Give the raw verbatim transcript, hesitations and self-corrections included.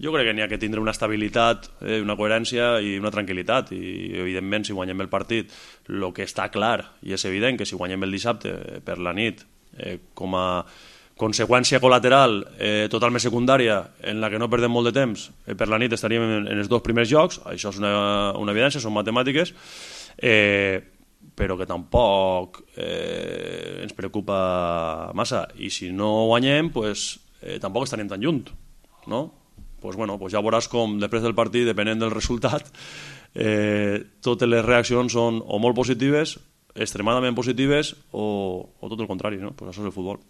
Jo crec que n'hi ha que tindre una estabilitat, eh, una coherència i una tranquil·litat, i evidentment si guanyem el partit, el que està clar i és evident que si guanyem el dissabte per la nit, eh, com a conseqüència col·lateral eh, totalment secundària en la que no perdem molt de temps, eh, per la nit estaríem en, en els dos primers jocs, això és una, una evidència, són matemàtiques, eh, però que tampoc eh, ens preocupa massa, i si no guanyem pues, eh, tampoc estaríem tan lluny, no? Pues bueno, pues ja veuràs com després del partit, depenent del resultat, eh, totes les reaccions són o molt positives, extremadament positives, o, o tot el contrari, no? Pues això és el futbol.